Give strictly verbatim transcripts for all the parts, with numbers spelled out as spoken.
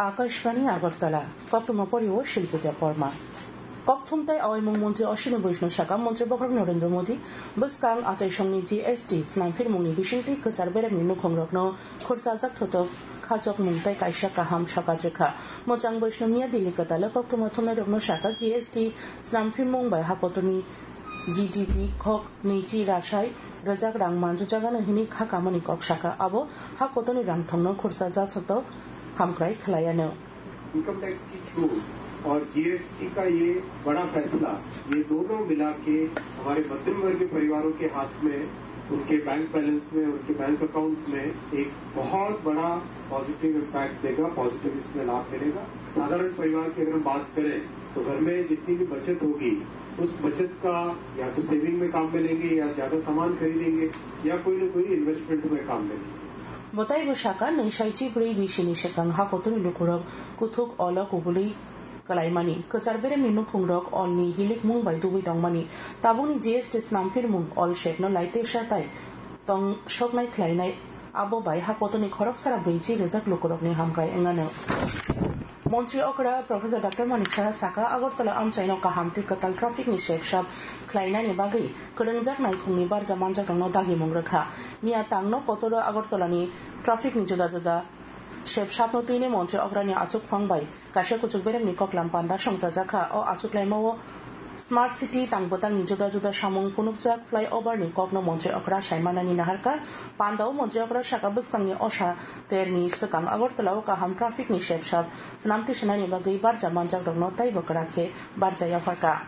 Akashbani Agartala, koktwma pori o Shilpi Debbarma. Kokthum tei awaimung montri Ashwini Vaishnaw saka montri bokhorok Narendra Modi bwskang achaisongni G S T snamphirmungni bisingtwi kwchar beremni nukhungrokno khursajak thotok khachokmung tei kaisa kaham sokat rwkha. Mwchang Vaishnaw miya Delhi kwtalo koktwma thumnairokno saka G S T snamphirmung bai hakotorni G D P khok nwichi rasai rwjak rang manjujagano hwnwi kha kamani kok saka. Abo hakotorni rangthongno khursajak thotok hamkrai khwlaianw. Income tax की छूट और जीएसटी का ये बड़ा फैसला, ये दोनों मिला के हमारे मध्यम वर्गीय परिवारों के हाथ में, उनके बैंक बैलेंस में, उनके बैंक अकाउंट्स में एक बहुत बड़ा पॉजिटिव इम्पैक्ट देगा, पॉजिटिव इसमें लाभ मिलेगा। साधारण परिवार की अगर हम बात करें तो घर में जितनी भी बचत होगी, उस बचत का या तो सेविंग में काम में लेंगे या ज्यादा सामान खरीदेंगे या कोई ना कोई इन्वेस्टमेंट में काम में लेंगे। Bo taibo saka, nwi saichi bwrwi bisini swkang hakotorni lukurok kuthuk olo kubului kwlaimani, kwchar beremni nukhungrok olni hilikmung bai dubui tongmani, tabukni G S T snamphirmung ol sepno laitesa tai tong soknai khlainai, abo bai hakotorni khoroksara bwrwi chi rwjak lukurokni hamkrai wnganw. Montri okra Professor Doctor Manik Saha saka, Agartala amchaino kaham tei kwtal traffic ni sepsap khlainani bagwi kwrwngjak naikhungni barja manjakrokno dagimung rwkha. Miya tangno kotoro Agartalani traffic ni juda juda sepsapno twini montri okrani achukphang bai kaisa kuchuk beremni koklam panda songchajakha. O achuklaimao Smart City tang bwtangni juda juda samung phunukjak flyover ni kokno montri okra saimanani naharkha. Pandao montri okra saka bwskangni osa terni swkang Agartala o kaham traffic ni sepsap swnam tisanani bagwi barja manjakrokno taibo kwrak khe barja yapharkha.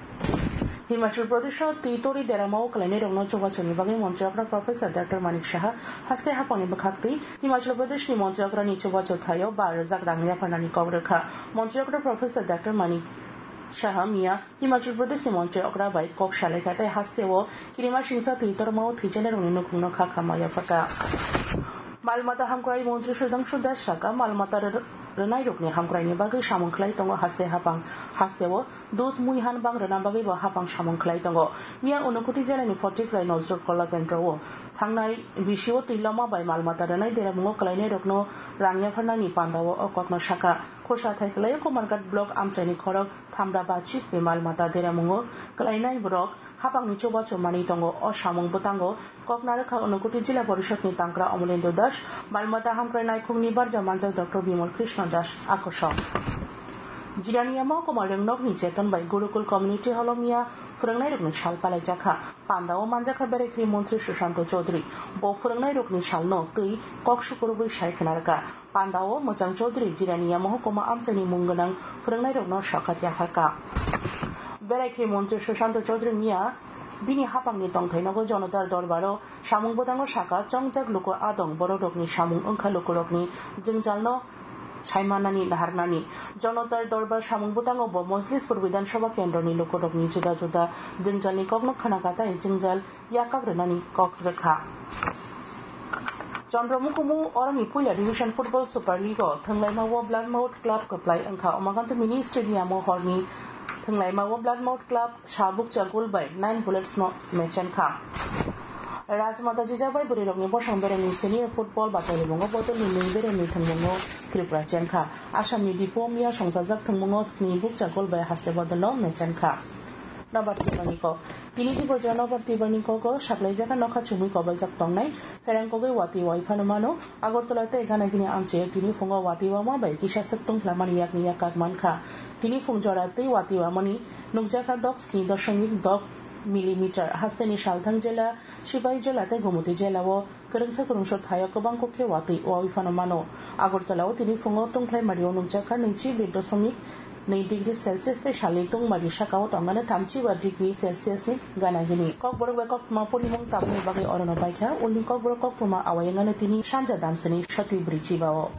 Himachal Pradesh o twi tori deramao kwlainairokno chubachuni bagwi montri okra Professor Doctor Manik Saha haste haphangni bwkhaktwi Himachal Pradesh ni montri okrani chubachu thaio ba rwjak rang yapharnani kok rwkha. Montri okra Professor Doctor Manik Saha miya Himachal Pradesh ni montri okra bai kok salaikha tei hasteo kirima singsa twi tormao thwijaknairokni nukhungno kha khamma yapharkha. Mal mata hamkrai montri Sudhangshu Das saka, mal mata rw-, rwnairokni hamkraini bagwi samung khlai tongo haste haphang. Hasteo dud mui han bang rwna bagwi bo haphang samung khlai tongo. Miya Unakoti jela ni Phottikhrai Nozrukhola kendro o thangnai bisio twi lama bai mal mata rwnai deramungo kwlainairokno rang yapharnani pandao o kokno sakha. Khorsa thai kwlaio Kumarghat block amchaini khorok Thamra Bachik bai mal mata deramungo kwlainai borok haphangni chubachu manwi tongo. O samung bwtango kok narwkha Unakoti Jila Porishod ni tangkra Amalendra Das, mal mata hamkrai naikhungni barja manjak Doctor Bimal Krishna Das akosong. Jirania Mohokuma Rwngnokni Cheton bai Gurukul Community Hall o miya phwrwngnairokni sal palaijakha. Pandao manjakha Berai Khri Montri Sushanto Chaudhary. Bo phwrwngnairokni salno twi kok sukurubwi sai khwnarwkha. Pandao Mwchang Chaudhary Jirania Mohokuma amchaini mung gwnang phwrwngnairokno sokat yapharkha. Berai Khri Montri Sushanto Chaudhary miya bini haphangni tongthai nogo Jonotar Dorbaro samung bwtango saka, chongjak luku adong borokrokni samung wngkha lukurokni jwngjalno saimanani naharnani. Jonotar Dorbar samung bwtango bo Mojlispur Bidhan Sabha kendroni lukurokni juda juda jwngjalni kokno khwnakha tei jwngjal yakak rwnani kok rwkha. Chandra Mukumu oroni puila Division Football Super League o thwnglaima o Bloodmouth Club kwplai wngkha. Umakanta Mini Stadium o horni thwnglaima o Bloodmouth Club Sabukcha goal bai nine bullets no mechenkha. Rajmata Jijabai bwrwirokni bosong beremni senior football bachaini mungo bodolni nwi beremni thwngmungo Tripura chenkha. Assamni Dipo miya songchajak thwngmungo sni bukcha goal bai haste bodolno mechenkha. Nobar Tibarni kok. Tini Tripura Nobar Tibarni kogo saklaijak nokha chumui kobaljak tongnai pherang kogwi watwi wai phano mano. Agartala tei Ganagini amchaio tini phungo watwi wama bai kisa swk tungphlamani yakni yak kak mankha. Tini phung jora twi watwi wamani nukjakha dok sni doshomik dok millimeter. Hasteni Salthang jela, Sipaijala tei Gumoti jelao kwrwngsa kwrwngsa thaio kwbang kok khe watwi wawi phano mano. Agartalao tini phungo tungphlai mario nukjakha nwichi bir doshomik nwi degree Celsius tei salni tungmari sakao tongmani thamchi ba degree Celsius ni gana gini. Kokborok bai koktwma porimung tabukni bagwi orono baikha, ulni kokborok koktwma awai wngano tini sanja damsini soti bwrwi chibao.